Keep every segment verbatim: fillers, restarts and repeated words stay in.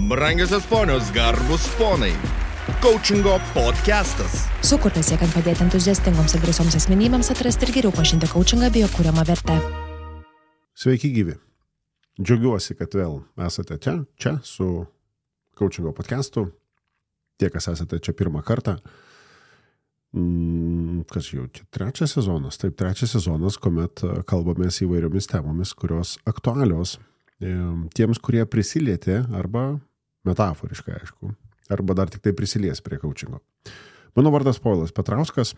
Brangiosios ponios, garbus ponai. Coachingo podcastas. Sukurtas siekiant padėti entuziastingoms ir drąsioms asmenybėms atrasti ir geriau pažinti coachingą bei jo kuriamą vertę. Sveiki gyvi. Džiaugiuosi, kad vėl esate čia, čia su Coachingo podcastu. Tie, kas esate čia pirmą kartą. Kas jau čia trečias sezonas. Taip, trečias sezonas, kuomet kalbamės įvairiomis temomis, kurios aktualios tiems, kurie prisilietė arba metaforiškai, aišku, arba dar tik tai prisilies prie coachingo. Mano vardas Povilas Petrauskas.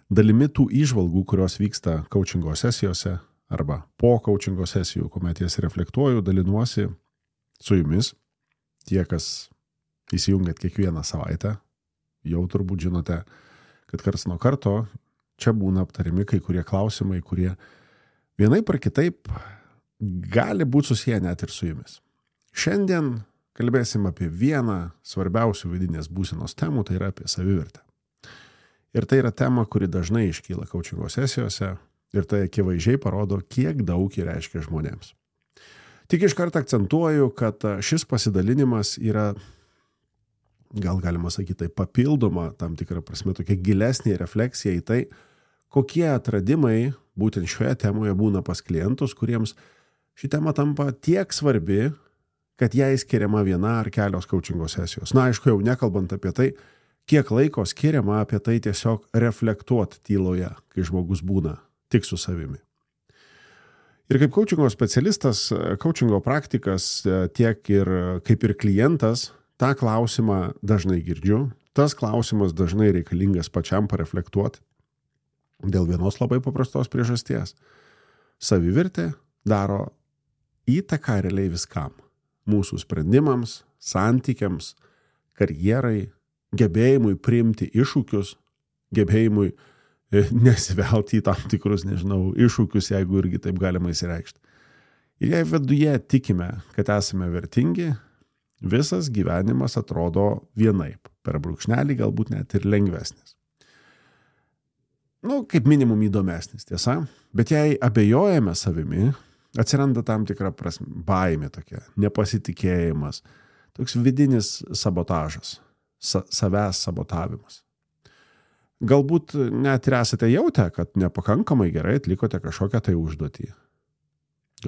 Dalimi tų įžvalgų, kurios vyksta coachingo sesijose arba po coachingo sesijų, kuomet jas reflektuoju, dalinuosi su jumis. Tie, kas įsijungiat kiekvieną savaitę, jau turbūt žinote, kad karts nuo karto čia būna aptarimi kai kurie klausimai, kurie vienaip ar kitaip gali būti susiję net ir su jumis. Šiandien kalbėsim apie vieną svarbiausių vidinės būsenos temų, tai yra apie savivertę. Ir tai yra tema, kuri dažnai iškyla coachingo sesijose ir tai akivaizdžiai parodo, kiek daug ji reiškia žmonėms. Tik iš karto akcentuoju, kad šis pasidalinimas yra, gal galima sakyti, tai papildoma tam tikrą prasme tokia gilesnė refleksija į tai, kokie atradimai būtent šioje temoje būna pas klientus, kuriems ši tema tampa tiek svarbi, kad jai skiriama viena ar kelios coachingo sesijos. Na, aišku, jau nekalbant apie tai, kiek laiko skiriama apie tai tiesiog reflektuoti tyloje, kai žmogus būna tik su savimi. Ir kaip coachingo specialistas, coachingo praktikas, tiek ir kaip ir klientas, tą klausimą dažnai girdžiu. Tas klausimas dažnai reikalingas pačiam pareflektuoti dėl vienos labai paprastos priežasties. Savivertė daro įtaką realiai viskam. Mūsų sprendimams, santykiams, karjerai, gebėjimui priimti iššūkius, gebėjimui nesivelti į tam tikrus, nežinau, iššūkius, jeigu irgi taip galima įsireikšti. Ir jei viduje tikime, kad esame vertingi, visas gyvenimas atrodo vienaip, per brūkšnelį galbūt net ir lengvesnis. Nu, kaip minimum įdomesnis, tiesa, bet jei abejojame savimi, atsiranda tam tikra prasme baimė tokia, nepasitikėjimas, toks vidinis sabotažas, sa- savęs sabotavimas. Galbūt net ir esate jautę, kad nepakankamai gerai atlikote kažkokią tai užduotį.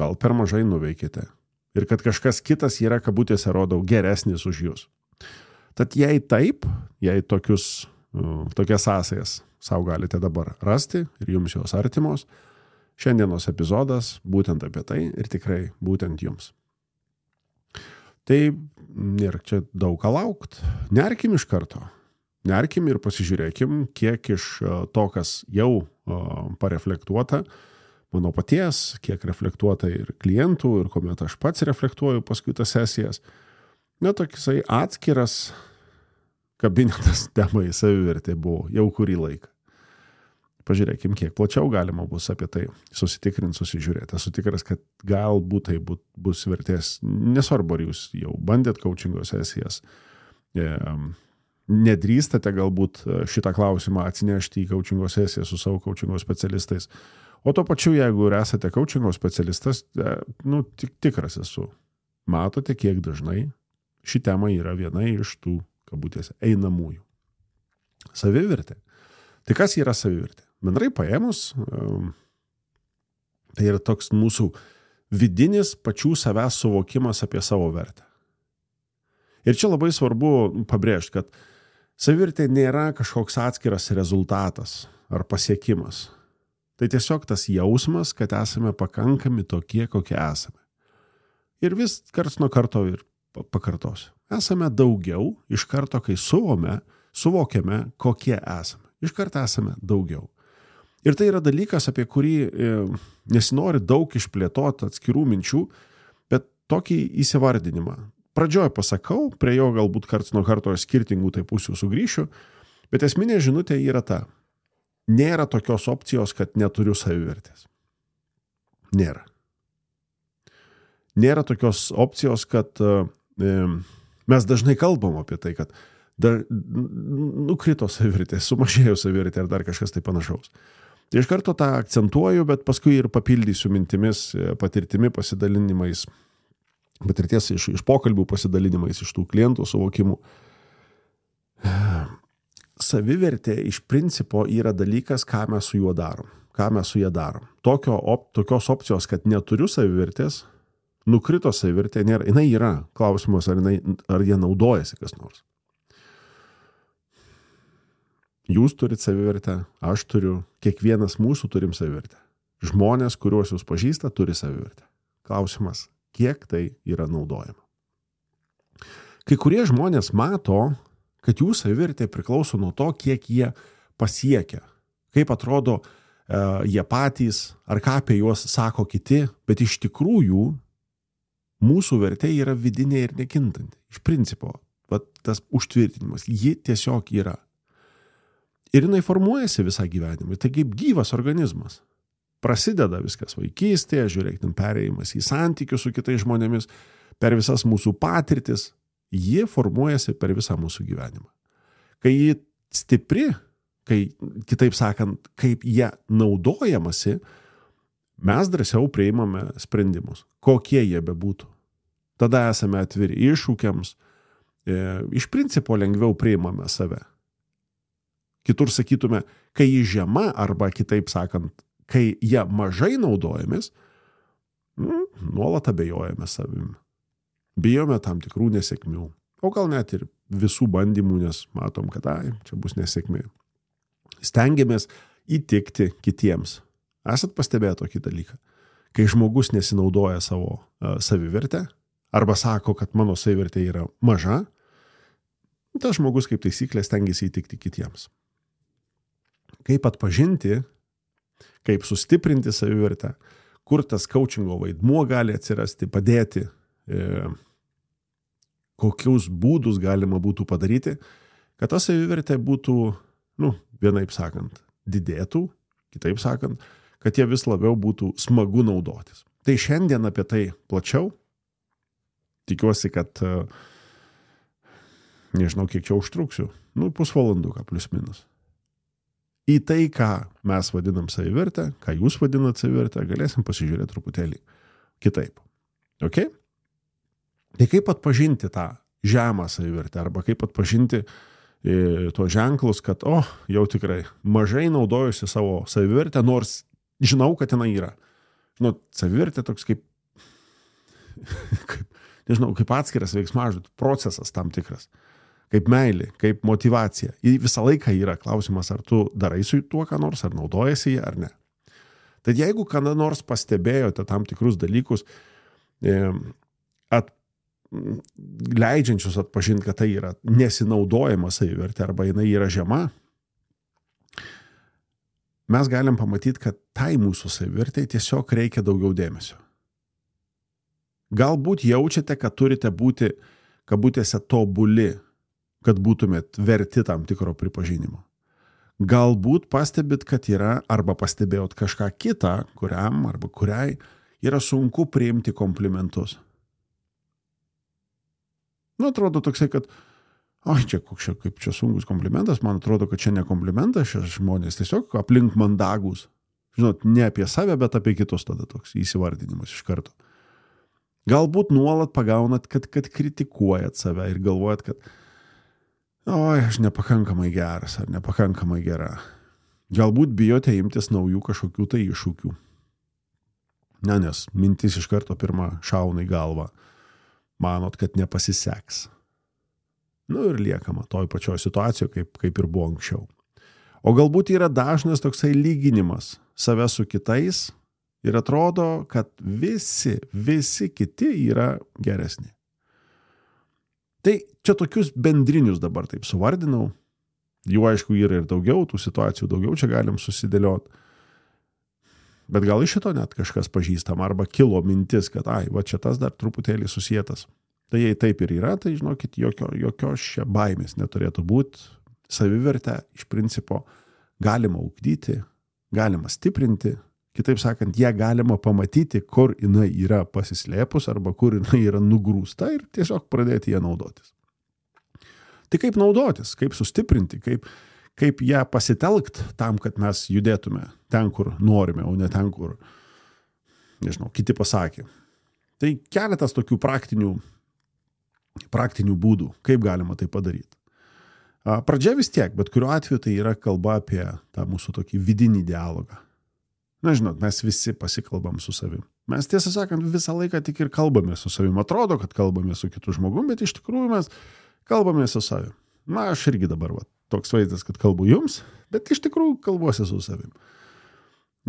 Gal per mažai nuveikite. Ir kad kažkas kitas yra, kabutėse, rodau, geresnis už jūs. Tad jei taip, jei tokius, tokias sąsajas savo galite dabar rasti ir jums jos artimos, šiandienos epizodas būtent apie tai ir tikrai būtent jums. Tai nėra čia daug ką laukt. Nerkim iš karto. Nerkim ir pasižiūrėkim, kiek iš to, kas jau pareflektuota, mano paties, kiek reflektuota ir klientų, ir kuomet aš pats reflektuoju paskui tas sesijas, na, tokisai atskiras kabinetas temai savivertė buvo jau kurį laiką. Pažiūrėkim, kiek plačiau galima bus apie tai susitikrinti, susižiūrėti. Esu tikras, kad galbūt tai bus vertės, nesvarbu, ar jūs jau bandėt coachingo sesijas, nedrįstate galbūt šitą klausimą atsinešti į coachingo sesiją su savo coachingo specialistais. O to pačiu, jeigu ir esate coachingo specialistas, nu, tik, tikras esu. Matote, kiek dažnai ši tema yra viena iš tų, kabutėse, einamųjų. Savivertė. Tai kas yra savivertė? Bendrai paėmus, tai yra toks mūsų vidinis pačių savęs suvokimas apie savo vertę. Ir čia labai svarbu pabrėžti, kad savivertė nėra kažkoks atskiras rezultatas ar pasiekimas. Tai tiesiog tas jausmas, kad esame pakankami tokie, kokie esame. Ir vis karts nuo karto ir pakartosiu. Esame daugiau iš karto, kai suvome, suvokiame, kokie esame. Iš karto esame daugiau. Ir tai yra dalykas, apie kurį e, nesinori daug išplėtoti atskirų minčių, bet tokį įsivardinimą. Pradžioj pasakau, prie jo galbūt karts nuo karto skirtingų tai pusių sugrįšiu, bet esminė žinutė yra ta. Nėra tokios opcijos, kad neturiu savivertės. Nėra. Nėra tokios opcijos, kad e, mes dažnai kalbam apie tai, kad dar nukrito savivertė, sumažėjo savivertė ar dar kažkas tai panašaus. Tai iš karto tą akcentuoju, bet paskui ir papildysiu mintimis, patirtimi, pasidalinimais patirties iš, iš pokalbių pasidalinimais, iš tų klientų suvokimų. Savivertė iš principo yra dalykas, ką mes su juo darom, ką mes su ją darom. Tokio, op, tokios opcijos, kad neturiu savivertės, nukrito savivertė, nėra, jinai yra. Klausimas, ar, jinai, ar jie naudojasi kas nors. Jūs turit savivertę, aš turiu, kiekvienas mūsų turim savivertę. Žmonės, kuriuos jūs pažįsta, turi savivertę. Klausimas, kiek tai yra naudojama. Kai kurie žmonės mato, kad jų savivertė priklauso nuo to, kiek jie pasiekia, kaip atrodo e, jie patys, ar ką apie juos sako kiti, bet iš tikrųjų mūsų vertė yra vidinė ir nekintanti. Iš principo, vat, tas užtvirtinimas, ji tiesiog yra. Ir jinai formuojasi visą gyvenimą. Tai kaip gyvas organizmas. Prasideda viskas vaikystėje, žiūrėk, ten perėjimas į santykius su kitais žmonėmis, per visas mūsų patirtis, ji formuojasi per visą mūsų gyvenimą. Kai ji stipri, kai, kitaip sakant, kaip jie naudojamasi, mes drąsiau priimame sprendimus, kokie jie bebūtų. Tada esame atviri iššūkiams, e, iš principo lengviau priimame save. Kitur sakytume, kai ji žema, arba kitaip sakant, kai jie mažai naudojamės, mm, nuolat abejojame savimi. Bijome tam tikrų nesėkmių. O gal net ir visų bandymų, nes matom, kad ai, čia bus nesėkmė. Stengiamės įtikti kitiems. Esat pastebėję tokį dalyką? Kai žmogus nesinaudoja savo uh, savivertę, arba sako, kad mano savivertė yra maža, tas žmogus kaip taisyklė stengiasi įtikti kitiems. Kaip atpažinti, kaip sustiprinti savivertę, kur tas coachingo vaidmuo gali atsirasti, padėti, e, kokius būdus galima būtų padaryti, kad ta savivertė būtų, nu, vienaip sakant, didėtų, kitaip sakant, kad jie vis labiau būtų smagu naudotis. Tai šiandien apie tai plačiau. Tikiuosi, kad nežinau, kiek čia užtruksiu, nu, pusvalanduką plus minus. Į tai, ką mes vadinam savivertę, ką jūs vadinat savivertę, galėsim pasižiūrėti truputėlį kitaip. Ok? Tai kaip atpažinti tą žemą savivertę, arba kaip atpažinti e, tuos ženklus, kad, o, jau tikrai mažai naudojusi savo savivertę, nors žinau, kad jinai yra. Žinot, savivertė toks kaip, kaip nežinau, kaip atskiras veiksmažodis, procesas tam tikras. Kaip meilė, kaip motyvacija. Ji visą laiką yra klausimas, ar tu darai su tuo, ką nors, ar naudojasi jį, ar ne. Tad jeigu kada nors pastebėjote tam tikrus dalykus, at, leidžiančius atpažinti, kad tai yra nesinaudojama savivertė, arba jinai yra žema, mes galim pamatyti, kad tai mūsų savivertė tiesiog reikia daugiau dėmesio. Galbūt jaučiate, kad turite būti, kabutėse, tobuli, kad būtumėt verti tam tikro pripažinimo. Galbūt pastebit, kad yra, arba pastebėjot kažką kitą, kuriam arba kuriai yra sunku priimti komplimentus. Nu, atrodo toksai, kad oi, čia koks čia, kaip čia sunkus komplimentas, man atrodo, kad čia ne komplimentas, čia žmonės tiesiog aplink mandagus. Žinot, ne apie save, bet apie kitus tada toks įsivardinimas iš karto. Galbūt nuolat pagaunat, kad, kad kritikuojat save ir galvojat, kad oi, aš nepakankamai geras ar nepakankamai gera. Galbūt bijote imtis naujų kažkokių tai iššūkių. Ne, nes mintis iš karto pirmą šauna į galvą. Manot, kad nepasiseks. Nu ir liekama toj pačioj situacijoje, kaip, kaip ir buvo anksčiau. O galbūt yra dažnas toksai lyginimas save su kitais ir atrodo, kad visi, visi kiti yra geresni. Tai čia tokius bendrinius dabar taip suvardinau. Jų aišku yra ir daugiau, tų situacijų daugiau čia galim susidėlioti. Bet gal iš šito net kažkas pažįstam, arba kilo mintis, kad ai, va čia tas dar truputėlį susietas. Tai jei taip ir yra, tai žinokit, jokio, jokios čia baimės neturėtų būti. Savivertę iš principo galima ugdyti, galima stiprinti. Kitaip sakant, ją galima pamatyti, kur jinai yra pasislėpus arba kur jinai yra nugrūsta ir tiesiog pradėti ją naudotis. Tai kaip naudotis, kaip sustiprinti, kaip, kaip ją pasitelkt tam, kad mes judėtume ten, kur norime, o ne ten, kur, nežinau, kiti pasakė. Tai keletas tokių praktinių, praktinių būdų, kaip galima tai padaryti. Pradžia vis tiek, bet kuriuo atveju tai yra kalba apie tą mūsų tokį vidinį dialogą. Na, žinot, mes visi pasikalbam su savim. Mes tiesą sakant visą laiką tik ir kalbame su savim. Atrodo, kad kalbame su kitu žmogum, bet iš tikrųjų mes kalbame su savim. Na, aš irgi dabar va, toks vaizdas, kad kalbu jums, bet iš tikrųjų kalbuosi su savim.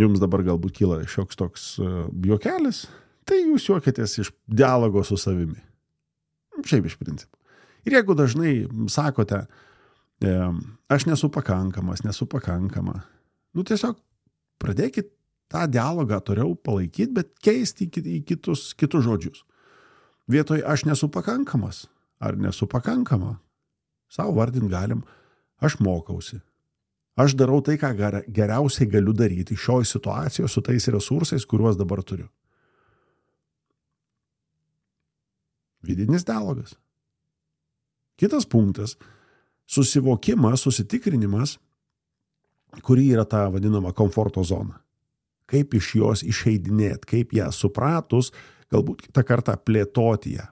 Jums dabar galbūt kyla šioks toks uh, juokelis, tai jūs juokitės iš dialogo su savimi. Šiaip iš principo. Ir jeigu dažnai sakote, e, aš nesu pakankamas, nesu pakankama, nu tiesiog pradėkit tą dialogą toliau palaikyti, bet keisti į kitus, kitus žodžius. Vietoj aš nesu pakankamas ar nesu pakankama, savo vardint galim, aš mokausi. Aš darau tai, ką geriausiai galiu daryti šioj situacijoje su tais resursais, kuriuos dabar turiu. Vidinis dialogas. Kitas punktas – susivokimas, susitikrinimas, kuri yra ta vadinama komforto zona. Kaip iš jos išeidinėti, kaip ją supratus, galbūt kitą kartą plėtoti ją.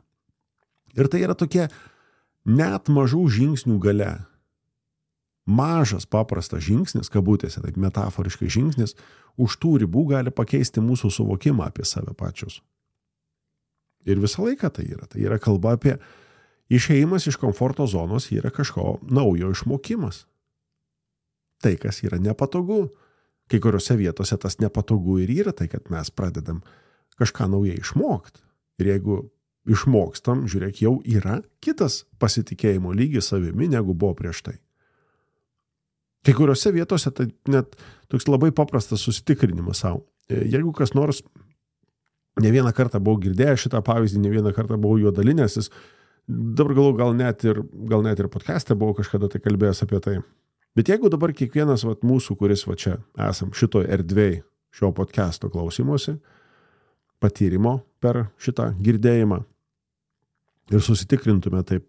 Ir tai yra tokie net mažų žingsnių gale. Mažas, paprastas žingsnis, kabutėse, taip metaforiškai žingsnis, už tų ribų gali pakeisti mūsų suvokimą apie save pačius. Ir visą laiką tai yra. Tai yra kalba apie išėjimas iš komforto zonos, yra kažko naujo išmokimas. Tai, kas yra nepatogu. Kai kuriuose vietose tas nepatogu ir yra tai, kad mes pradedam kažką naujai išmokti. Ir jeigu išmokstam, žiūrėk, jau yra kitas pasitikėjimo lygis savimi, negu buvo prieš tai. Kai kuriuose vietose tai net toks labai paprastas susitikrinimas savo. Jeigu kas nors, ne vieną kartą buvau girdėjęs šitą pavyzdį, ne vieną kartą buvau juo dalinęsis, dabar galų gal net ir, gal net ir podcast'e buvau kažkada tai kalbėjęs apie tai. Bet jeigu dabar kiekvienas vat, mūsų, kuris va čia esam šito erdvėj, šio podcast'o klausymosi, patyrimo per šitą girdėjimą ir susitikrintume taip,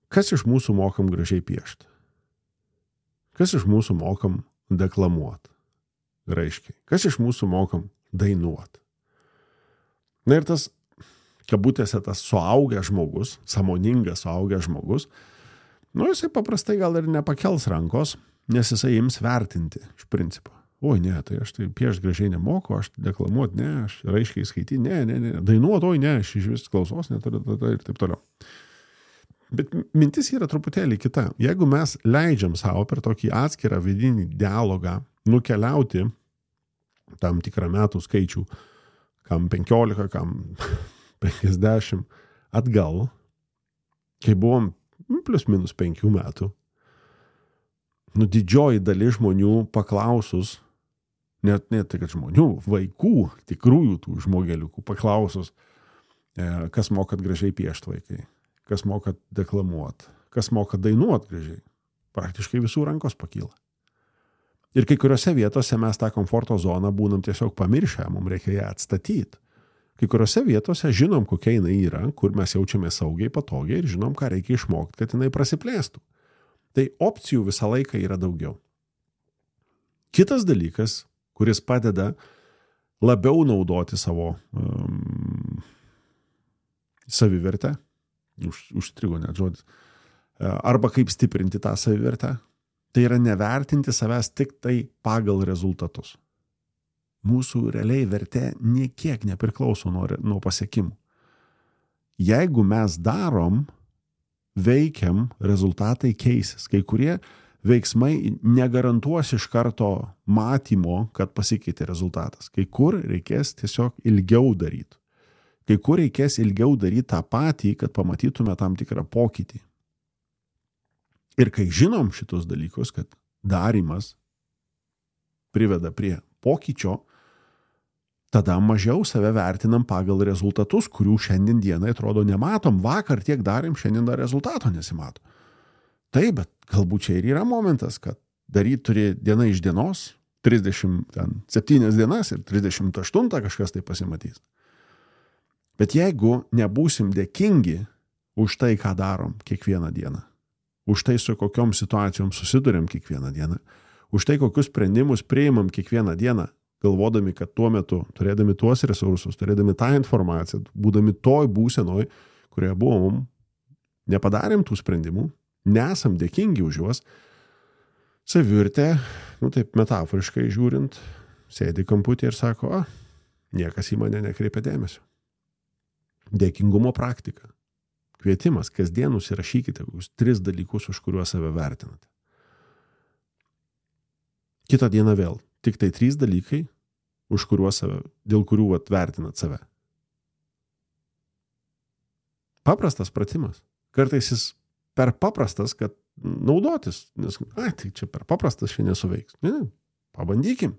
kas iš mūsų mokam gražiai piešti? Kas iš mūsų mokam deklamuoti? Raiškiai. Kas iš mūsų mokam dainuoti? Na ir tas, kabutėse, tas suaugęs žmogus, sąmoningas suaugęs žmogus, nu jisai paprastai gal ir nepakels rankos, nes jisai ims vertinti iš principo. Oi, ne, tai aš tai piešti gražiai nemoku, aš deklamuoti, ne, aš raiškiai skaityti, ne, ne, ne, dainuoti, oi, ne, aš iš vis klausos neturiu ir taip toliau. Bet mintis yra truputėlį kita. Jeigu mes leidžiam savo per tokį atskirą vidinį dialogą nukeliauti tam tikrą metų skaičių, kam penkiolika, kam penkiasdešimt atgal, kai buvom plus minus penkių metų, nu didžioji dalis žmonių paklausus, net ne tai, kad žmonių, vaikų, tikrųjų tų žmogeliukų paklausus, kas mokat gražiai piešti vaikai, kas mokat deklamuoti, kas mokat dainuoti gražiai, praktiškai visų rankos pakyla. Ir kai kuriuose vietose mes tą komforto zoną būnam tiesiog pamiršę, mums reikia ją atstatyti. Kai kuriuose vietose žinom, kokia jinai yra, kur mes jaučiame saugiai, patogiai ir žinom, ką reikia išmokti, kad jinai prasiplėstų. Tai opcijų visą laiką yra daugiau. Kitas dalykas, kuris padeda labiau naudoti savo um, savivertę, už, užstrigo net žodis, arba kaip stiprinti tą savivertę, tai yra nevertinti savęs tik tai pagal rezultatus. Mūsų realiai vertė niekiek nepriklauso nuo, nuo pasiekimų. Jeigu mes darom, veikiam, rezultatai keisis. Kai kurie veiksmai negarantuos iš karto matymo, kad pasikeitė rezultatas. Kai kur reikės tiesiog ilgiau daryti. Kai kur reikės ilgiau daryti tą patį, kad pamatytume tam tikrą pokytį. Ir kai žinom šitus dalykus, kad darymas priveda prie pokyčio, tada mažiau save vertinam pagal rezultatus, kurių šiandien dienai atrodo nematom. Vakar tiek darėm, šiandien dar rezultato nesimato. Taip, bet galbūt čia ir yra momentas, kad daryti turi diena iš dienos, trisdešimt septynias dienas ir trisdešimt aštuntą kažkas tai pasimatys. Bet jeigu nebūsim dėkingi už tai, ką darom kiekvieną dieną, už tai, su kokiom situacijom susidurėm kiekvieną dieną, už tai, kokius sprendimus priimam kiekvieną dieną, galvodami, kad tuo metu, turėdami tuos resursus, turėdami tą informaciją, būdami toj būsenoj, kurioje buvom, nepadarėm tų sprendimų, nesam dėkingi už juos, savivertė, nu taip metaforiškai žiūrint, sėdi kamputį ir sako, a, niekas į mane nekreipia dėmesio. Dėkingumo praktika. Kvietimas, kasdien užsirašykite tris dalykus, už kuriuos save vertinate. Kitą dieną vėl. Tik tai trys dalykai, už kuriuos save, dėl kurių vat, vertinat save. Paprastas pratimas. Kartais jis per paprastas, kad naudotis. Nes, ai, tai čia per paprastas šiandien suveiks. Ne, ne, pabandykim.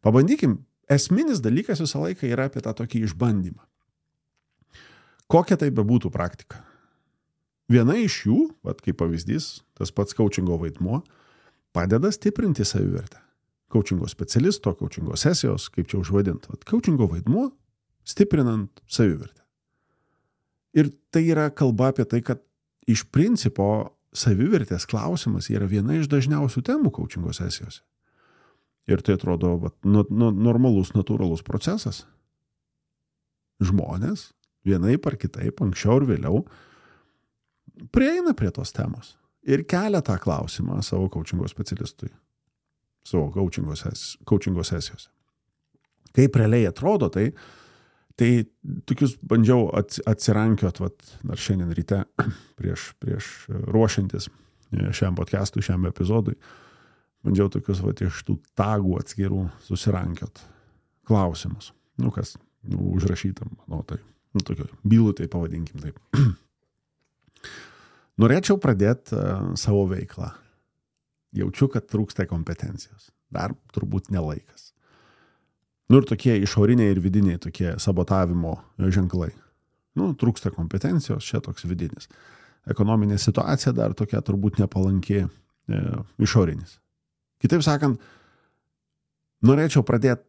Pabandykim. Esminis dalykas visą laiką yra apie tą tokį išbandymą. Kokia tai bebūtų praktika? Viena iš jų, vat, kaip pavyzdys, tas pats coachingo vaidmuo, padeda stiprinti savivertę. Coachingo specialisto, coachingo sesijos, kaip čia užvadint. Vat, coachingo vaidmuo stiprinant savivertę. Ir tai yra kalba apie tai, kad iš principo savivertės klausimas yra viena iš dažniausių temų coachingo sesijose. Ir tai atrodo vat, nu, nu, normalus, natūralus procesas. Žmonės vienaip ar kitaip, anksčiau ir vėliau, prieina prie tos temos ir kelia tą klausimą savo coachingo specialistui, savo coachingo, ses, coachingo sesijose. Kaip realiai atrodo, tai, tai tokius bandžiau atsirankiot, vat, dar šiandien ryte, prieš, prieš ruošiantis šiam podcastui, šiam epizodui, bandžiau tokius vat, iš tų tagų atskirų susirankiot klausimus. Nu, kas nu, užrašytam, manau, tai nu, tokio bylų, tai pavadinkim taip. Norėčiau pradėti uh, savo veiklą. Jaučiu, kad trūksta kompetencijos. Dar turbūt nelaikas. Nu ir tokie išoriniai ir vidiniai tokie sabotavimo ženklai. Nu, trūksta kompetencijos, čia toks vidinis. Ekonominė situacija dar tokia turbūt nepalanki e, išorinis. Kitaip sakant, norėčiau pradėti,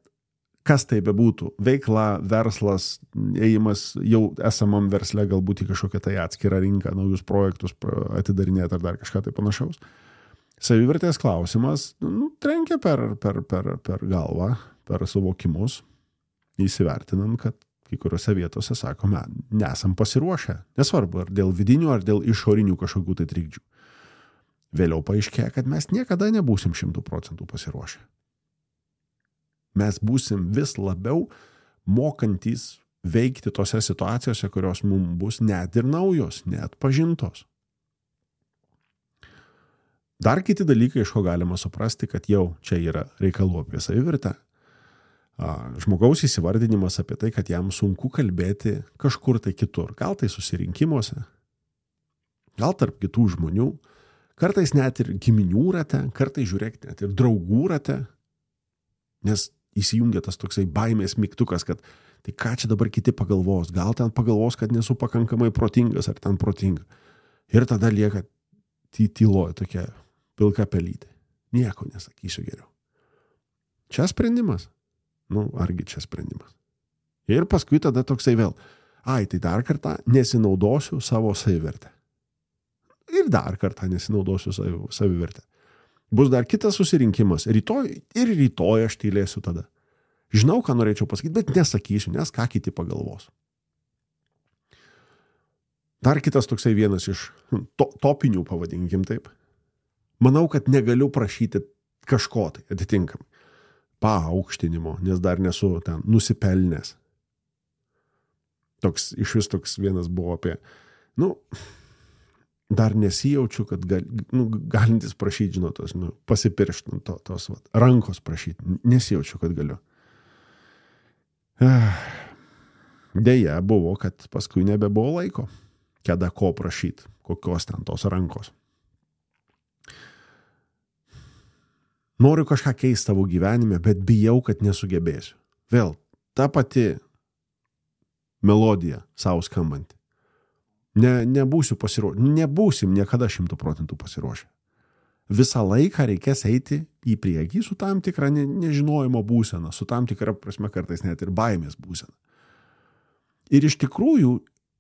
kas tai bebūtų, veikla, verslas, ėjimas jau esamam versle, galbūt į kažkokią tai atskirą rinką, naujus projektus atidarinėti ar dar kažką tai panašaus. Savivertės klausimas nu, trenkia per, per, per, per galvą, per suvokimus, įsivertinant, kad kai kuriuose vietose, sakome, nesam pasiruošę. Nesvarbu, ar dėl vidinių, ar dėl išorinių kažkokių tai trikdžių. Vėliau paaiškėja, kad mes niekada nebūsim šimtų procentų pasiruošę. Mes būsim vis labiau mokantys veikti tose situacijose, kurios mums bus net ir naujos, net pažintos. Dar kiti dalykai, iš ko galima suprasti, kad jau čia yra reikalų apie savivertę. Žmogaus įsivardinimas apie tai, kad jam sunku kalbėti kažkur tai kitur. Gal tai susirinkimuose, gal tarp kitų žmonių, kartais net ir giminių rate, kartais žiūrėk net ir draugų rate, nes įsijungia tas toksai baimės mygtukas, kad tai ką čia dabar kiti pagalvos, gal ten pagalvos, kad nesu pakankamai protingas ar ten protinga. Ir tada lieka tyloje tokia pilka pelytė. Nieko nesakysiu geriau. Čia sprendimas. Nu, argi čia sprendimas. Ir paskui tada toksai vėl, ai, tai dar kartą nesinaudosiu savo savivertę. Ir dar kartą nesinaudosiu savivertę. Bus dar kitas susirinkimas. Rytoj ir rytoj aš tylėsiu tada. Žinau, ką norėčiau pasakyti, bet nesakysiu, nes ką kiti pagalvos. Dar kitas toksai vienas iš to, topinių, pavadinkim taip. Manau, kad negaliu prašyti kažko tai atitinkamai. Paaukštinimo, nes dar nesu ten nusipelnęs. Toks, iš vis toks vienas buvo apie, nu, dar nesijaučiu, kad gal, nu, galintis prašyti, žinot, tos, nu, pasipiršti to, tos vat, rankos prašyti. Nesijaučiu, kad galiu. Deja, buvo, kad paskui nebebuvo laiko, kada ko prašyti, kokios ten tos rankos. Noriu kažką keisti savo gyvenime, bet bijau, kad nesugebėsiu. Vėl, ta pati melodija savo skambanti. Ne, nebūsiu pasiruošę, nebūsim niekada šimtų procentų pasiruošę. Visą laiką reikės eiti į priekį su tam tikra ne, nežinojimo būsena, su tam tikra prasme kartais net ir baimės būsena. Ir iš tikrųjų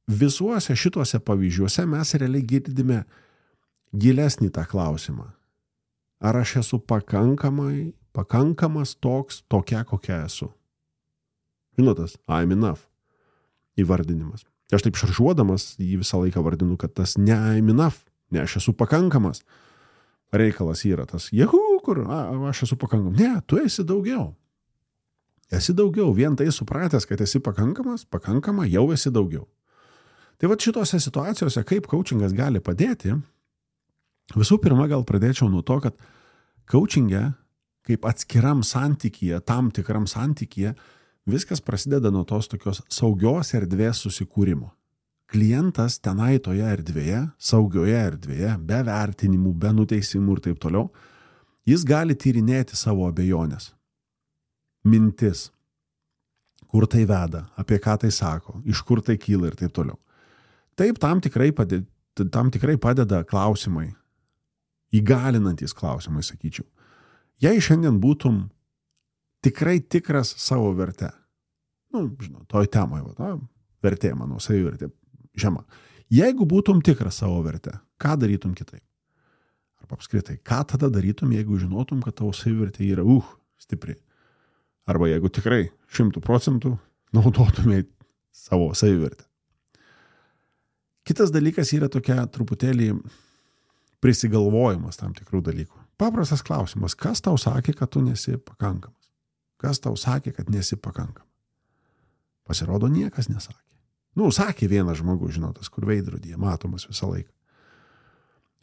visuose šituose pavyzdžiuose mes realiai girdime gilesnį tą klausimą. Ar aš esu pakankamai pakankamas toks, tokia, kokia esu. Žinotas, I'm enough įvardinimas. Aš taip šaržuodamas jį visą laiką vardinu, kad tas ne I'm enough, ne aš esu pakankamas. Reikalas yra tas, jehu, kur a, aš esu pakankamas. Ne, tu esi daugiau. Esi daugiau. Vien tai supratęs, kad esi pakankamas, pakankama, jau esi daugiau. Tai va šitose situacijose, kaip coachingas gali padėti, visų pirma, gal pradėčiau nuo to, kad coachinge, kaip atskiram santykyje, tam tikram santykyje, viskas prasideda nuo tos tokios saugios erdvės susikūrimo. Klientas tenai toje erdvėje, saugioje erdvėje, be vertinimų, be nuteisimų ir taip toliau, jis gali tyrinėti savo abejonės, mintis, kur tai veda, apie ką tai sako, iš kur tai kyla ir taip toliau. Taip tam tikrai padeda, tam tikrai padeda klausimai, įgalinantys klausimai, sakyčiau. Jei šiandien būtum tikrai tikras savo verte, nu, žinau, toj temai, va, vertė, mano, savivertė, žema. Jeigu būtum tikras savo verte, ką darytum kitaip? Arba apskritai, ką tada darytum, jeigu žinotum, kad tavo savivertė yra, uh, stipri? Arba jeigu tikrai šimtų procentų naudotumėt savo savivertę. Kitas dalykas yra tokia truputėlį prisigalvojimas tam tikrų dalykų. Paprastas klausimas, kas tau sakė, kad tu nesi pakankamas? Kas tau sakė, kad nesi pakankamas? Pasirodo, niekas nesakė. Nu, sakė vienas žmogus, žinotas, kur veidrodyje matomas visą laiką.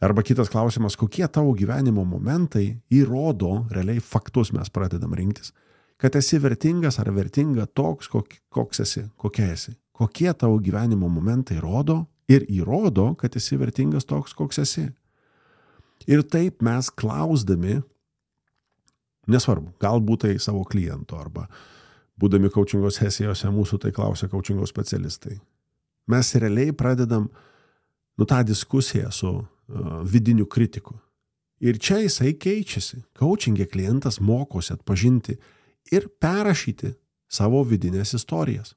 Arba kitas klausimas, kokie tavo gyvenimo momentai įrodo, realiai faktus mes pradedam rinktis, kad esi vertingas ar vertinga toks, koks esi, kokia esi. Kokie tavo gyvenimo momentai rodo ir įrodo, kad esi vertingas toks, koks esi. Ir taip mes klausdami, nesvarbu, galbūt tai savo kliento arba būdami coachingo sesijose mūsų tai klausia coachingo specialistai. Mes realiai pradedam nu, tą diskusiją su uh, vidiniu kritiku. Ir čia jisai keičiasi. Coachingė klientas mokosi atpažinti ir perrašyti savo vidinės istorijas,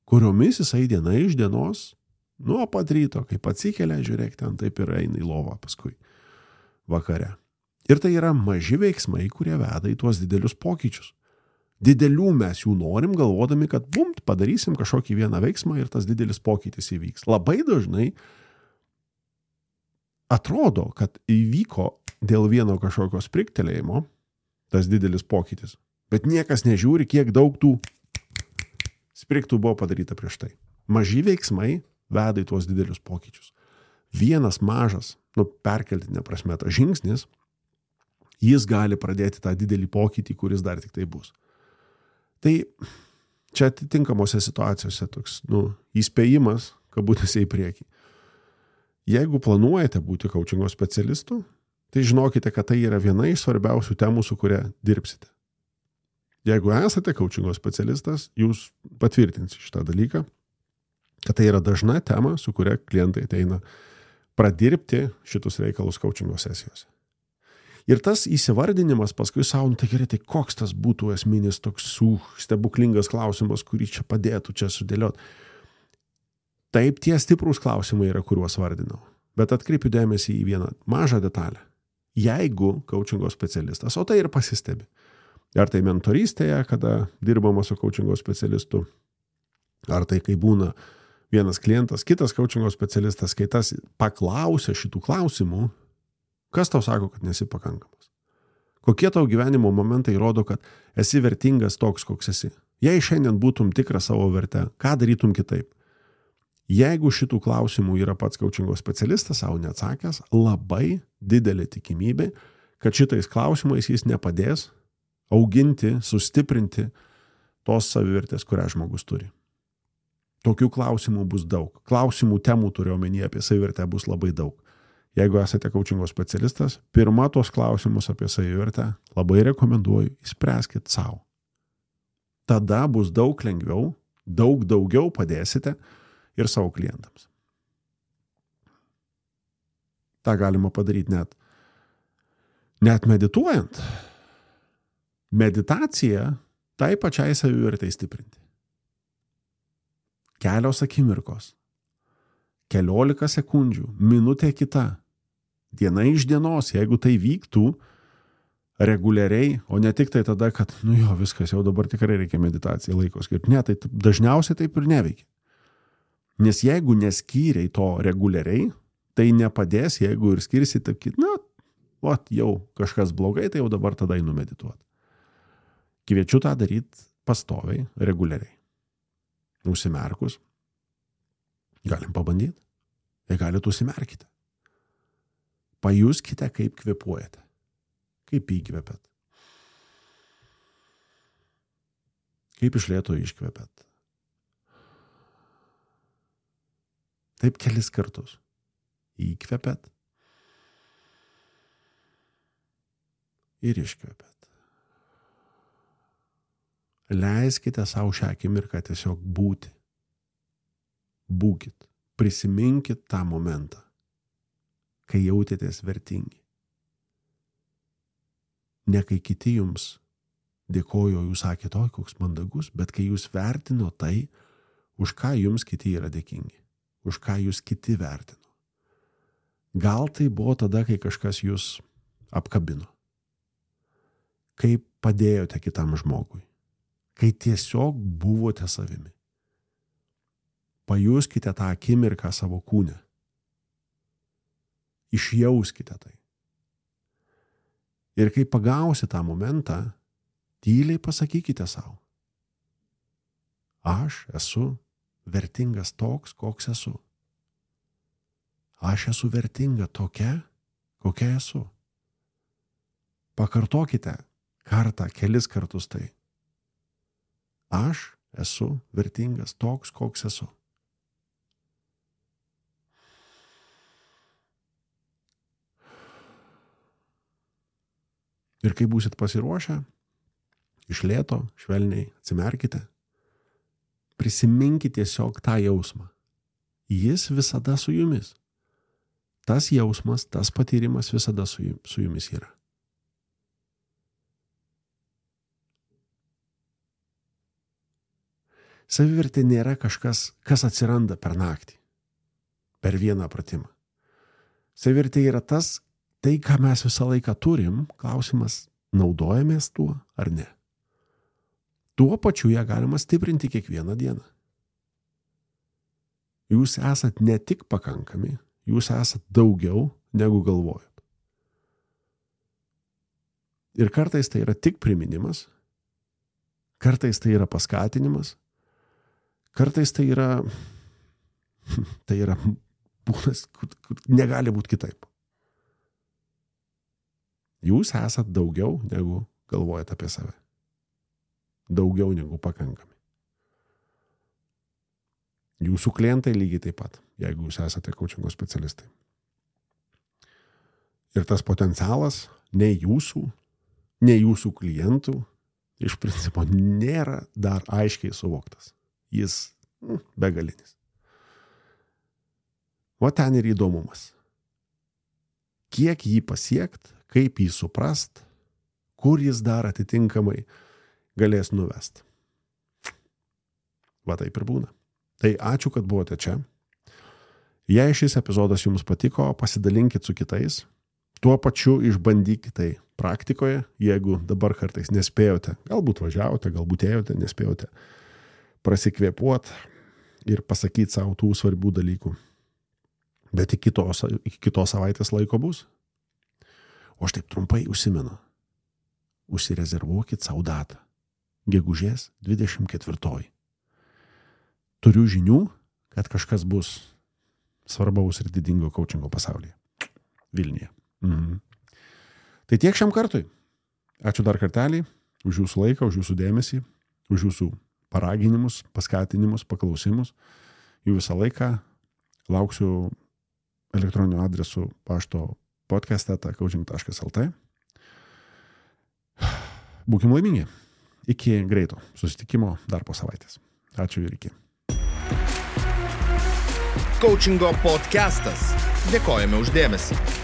kuriomis jisai diena iš dienos, nuo pat ryto, kaip atsikelia, žiūrėk, ten taip ir eina į lovą paskui vakare. Ir tai yra maži veiksmai, kurie veda į tuos didelius pokyčius. Didelių mes jų norim, galvodami, kad bum, padarysim kažkokį vieną veiksmą ir tas didelis pokytis įvyks. Labai dažnai atrodo, kad įvyko dėl vieno kažkokio spriktelėjimo tas didelis pokytis, bet niekas nežiūri, kiek daug tų spriktų buvo padaryta prieš tai. Maži veiksmai veda į tuos didelius pokyčius. Vienas mažas, nu, perkeltinė prasme, tas žingsnis, jis gali pradėti tą didelį pokytį, kuris dar tik tai bus. Tai čia atitinkamose situacijose toks, nu, įspėjimas, kabutėse į priekį. Jeigu planuojate būti coachingo specialistu, tai žinokite, kad tai yra viena iš svarbiausių temų, su kuria dirbsite. Jeigu esate coachingo specialistas, jūs patvirtinsite šitą dalyką, kad tai yra dažna tema, su kuria klientai ateina pradirbti šitus reikalus coachingo sesijose. Ir tas įsivardinimas paskui savo, nu tai gerai, tai koks tas būtų esminis toks uh, stebuklingas klausimas, kurį čia padėtų čia sudėlioti. Taip, tie stiprūs klausimai yra, kuriuos vardinau. Bet atkreipiu dėmesį į vieną mažą detalę. Jeigu coachingo specialistas, o tai ir pasistebi, ar tai mentorystėje, kada dirbama su coachingo specialistu, ar tai kai būna vienas klientas, kitas coachingo specialistas, kai tas paklausia šitų klausimų, kas tau sako, kad nesi pakankamas? Kokie tau gyvenimo momentai rodo, kad esi vertingas toks, koks esi? Jei šiandien būtum tikras savo verte, ką darytum kitaip? Jeigu šitų klausimų yra pats coachingo specialistas savo neatsakęs, labai didelė tikimybė, kad šitais klausimais jis nepadės auginti, sustiprinti tos savivertės, kurią žmogus turi. Tokių klausimų bus daug. Klausimų temų turiu omenyje apie savivertę bus labai daug. Jeigu esate coachingo specialistas, pirma tos klausimus apie savivertę labai rekomenduoju, išspręskit savo. Tada bus daug lengviau, daug daugiau padėsite ir savo klientams. Ta galima padaryti net, net medituojant. Meditacija tai pačiai savivertei stiprinti. Kelios akimirkos, keliolika sekundžių, minutė kita. Diena iš dienos, jeigu tai vyktų, reguliariai, o ne tik tai tada, kad, nu jo, viskas, jau dabar tikrai reikia meditacijai laiko skirti. Ne, tai dažniausiai taip ir neveikia. Nes jeigu neskyriai to reguliariai, tai nepadės, jeigu ir skirsi, taip, na, o, jau kažkas blogai, tai jau dabar tada einu medituoti. Kviečiu tą daryti pastoviai, reguliariai. Užsimerkus. Galim pabandyti. Jei galite, užsimerkite. Pajuskite, kaip kvėpuojate. Kaip įkvėpėt. Kaip iš lėto iškvėpėt. Taip kelis kartus. Įkvėpėt. Ir iškvėpėt. Leiskite savo šią akimirką tiesiog būti. Būkit. Prisiminkit tą momentą, kai jautėtės vertingi. Ne kai kiti jums dėkojo, jūs sakėte, oi, koks mandagus, bet kai jūs vertino tai, už ką jums kiti yra dėkingi, už ką jūs kiti vertino. Gal tai buvo tada, kai kažkas jūs apkabino, kai padėjote kitam žmogui, kai tiesiog buvote savimi. Pajuskite tą akimirką savo kūne. Išjauskite tai. Ir kai pagausi tą momentą, tyliai pasakykite savo. Aš esu vertingas toks, koks esu. Aš esu vertinga tokia, kokia esu. Pakartokite kartą, kelis kartus tai. Aš esu vertingas toks, koks esu. Ir kai būsit pasiruošę, iš lėto, švelniai atsimerkite, prisiminkite tiesiog tą jausmą. Jis visada su jumis. Tas jausmas, tas patyrimas visada su jumis yra. Savivertė nėra kažkas, kas atsiranda per naktį, per vieną pratimą. Savivertė yra tas, tai, ką mes visą laiką turim, klausimas, naudojamės tuo ar ne. Tuo pačiu ją galima stiprinti kiekvieną dieną. Jūs esat ne tik pakankami, jūs esat daugiau negu galvojat. Ir kartais tai yra tik priminimas, kartais tai yra paskatinimas, kartais tai yra, tai yra būdas, kur negali būti kitaip. Jūs esat daugiau negu galvojat apie save. Daugiau negu pakankami. Jūsų klientai lygiai taip pat, jeigu jūs esate coachingo specialistai. Ir tas potencialas nei jūsų, nei jūsų klientų iš principo nėra dar aiškiai suvoktas. Jis mm, begalinis. O ten ir įdomumas. Kiek jį pasiekt, kaip jį suprast, kur jis dar atitinkamai galės nuvest. Va taip ir būna. Tai ačiū, kad buvote čia. Jei šis epizodas jums patiko, pasidalinkit su kitais. Tuo pačiu išbandykite tai praktikoje, jeigu dabar kartais nespėjote, galbūt važiavote, galbūt ėjote, nespėjote prasikvėpuot ir pasakyti savo tų svarbių dalykų. Bet iki kitos, iki kitos savaitės laiko bus. O aš taip trumpai užsimenu. Užsirezervuokit savo datą. Gegužės dvidešimt ketvirtoji. Turiu žinių, kad kažkas bus svarbaus ir didingo coachingo pasaulyje. Vilniuje. Mhm. Tai tiek šiam kartui. Ačiū dar kartelį už jūsų laiką, už jūsų dėmesį, už jūsų paraginimus, paskatinimus, paklausimus. Jų visą laiką lauksiu elektroniniu adresu pašto podcast eta coaching taškas lt. Būkim laimingi. Iki greito susitikimo dar po savaitės. Ačiū ir iki. Coachingo podcastas. Dėkojame už dėmesį.